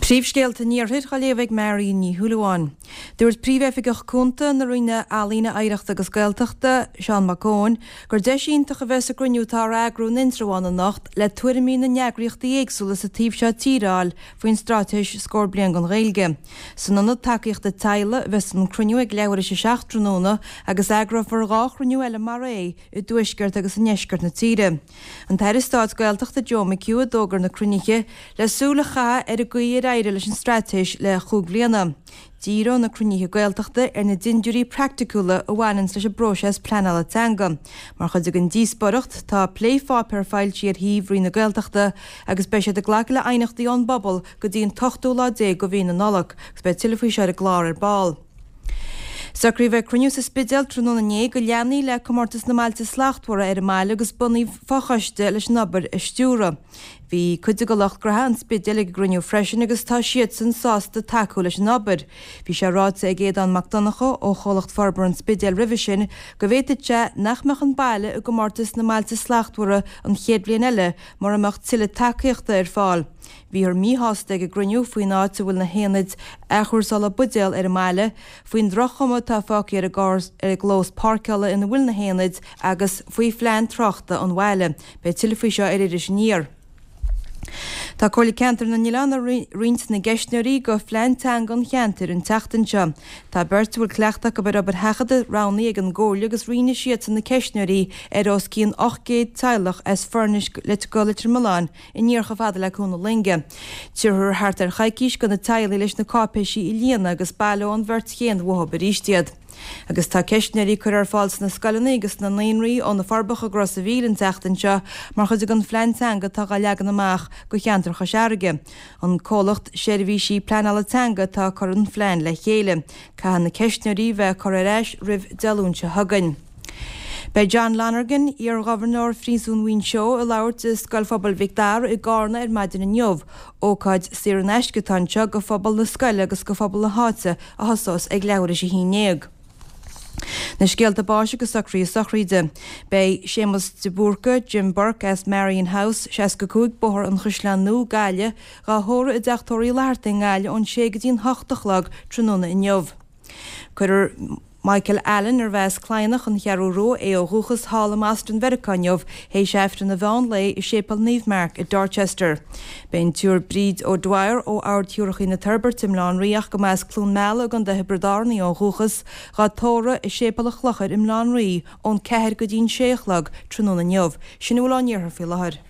Príomhscéalta an Iarthair á léamh ag Marion Ní Shúilleabháin. Dúirt Príomh-Oifigeach Cúnta na Roinne Ealaíne, Oidhreachta agus Gaeltachta, Seán Mac Eoin, gur deis iontach a bheas sa gcruinniú atá á eagrú in Indreabhán anocht le tuairimí na n-eagraíochtaí éagsúla sa taobh seo tíre a fháil faoin Straitéis Scór Bliain don Ghaeilge. San Ionad Tacaíochta Teaghlaigh a bheas an cruinniú ag leathuair théis 7 tráthnóna agus eagrófar 2 chruinniú eile mar é i dtuaisceart agus i ndeisceart na tíre. An tAire Stáit Gaeltachta Joe McHugh a d'fhógair na cruinnithe le súil a chaitheamh ar an gcaoi ar éirigh leis an straitéis le chúig bhliana. Díreoidh na cruinnithe Gaeltachta ar na dindiúirí praiticiúla a bhaineanns leis an bpróiseas pleanála teanga. Mar chuid den díospóireacht, tá plépháipéar foilsithe ar shuíomh Roinn na Gaeltachta agus beidh siad ag glacadh le aighneachtaí ón bpobal go dtí an t-ochtú lá déag de mhí na Nollag agus beidh tuilleadh faoi seo ar an gclár ar ball. Socraíodh ag cruinniú sa Spidéal tráthnóna inné go leanfaí le Comórtas na mBailte Slachtmhara ar an mbaile agus bunaíodh fochoiste leis an obair a stiúradh. Bhí cuid de lucht gnaithe an Spidéil ag an gcruinniú freisin agus tá siadsan sásta tacú leis an obair. Bhí sé ráite ag Aodán Mac Donncha ó Chomhlacht Forbartha an Spidéil roimhe sin go bhféadfadh sé nach mbeadh an baile i gComórtas na mBailte Slachtmhara an chéad bhliain eile mura mbeadh tuilleadh tacaíochta ar fáil. Bhíothar míshásta ag an gcruinniú faoin áit a bhfuil na haonaid athchúrsála buidéal ar an mbaile, faoin droch-chuma atá fágtha ar an gclós páirceála ina bhfuil na haonaid agus faoi phlean tráchta an bhaile. Beidh tuilleadh faoi seo ar Iris Aniar. Tá Comhairle Ceantair na nOileán ag roinnt na gceistneoirí do phlean teanga an cheantair an tseachtain seo. Tá beirt a bhfuil cleachtadh acu ar obair sheachadta roghnaithe ag an gComhairle agus roinnfidh siadsan na ceistneoirí ar os cionn 800 teaghlach as Foirnis go Leitir Mealláin aniar chomh fada le Cuan na Loinge. Tabharfar thart ar choicís do na teaghlaigh leis na cáipéisí a líonadh agus baileoidh an bheirt chéanna uathu arís iad. Agus tá ceistneoirí curtha ar fáil sna scoileanna agus sna naíonraí ó na Forbacha go Ros a' Mhíl an tseachtain seo mar chuid den phlean teanga atá á leagan amach do cheantar Chois Fharraige. An comhlacht Seirbhísí Pleanála Teanga atá ag cur an phlean le chéile. Caithfidh na ceistneoirí bheith curtha ar ais roimh Dé Luain seo chugainn. Beidh John Lonergan, iar-Ghobharnóir Phríosún Mhuinseo, ag labhairt i Scoil Phobail Mhic Dara i gCarna ar maidin inniu. Ócáid saor in aisce atá anseo go phobal na scoile agus go phobal na háite a thosós ag leathuair théis a haon ndéag. Na scéalta báis agus socruithe sochraide. Beidh Séamus de Búrca, Jim Burke, as Marion House, 65 Bóthar an Chaisleáin Nua, Gaillimh, dhá thórramh i dTeach Tórraimh Uí Fhlathartaigh i nGaillimh ón sé go dtí an hocht a chlog tráthnóna inniu. Cuirfear Michael Allen, arbh as Cladhnach, An Cheathrú Rua, é ó dhúchas, thall i mBoston Mheiriceá inniu, théis Aifreann an mheán lae i Séipéal Naomh Mark i Dorchester. Beidh an tSiúr Bríd O'Dwyer ó Ard Shiúrachaí na Toirbhirte i mBaile Átha an Rí ach go mba as Cluain Meala i gContae Thiobraid Árann í ó dhúchas, dhá tórramh i Séipéal an Chlochair i mBaile Átha an Rí ón 4 go dtí an 6 a chlog tráthnóna inniu. Sin a bhfuil ón iarthar faoi láthair.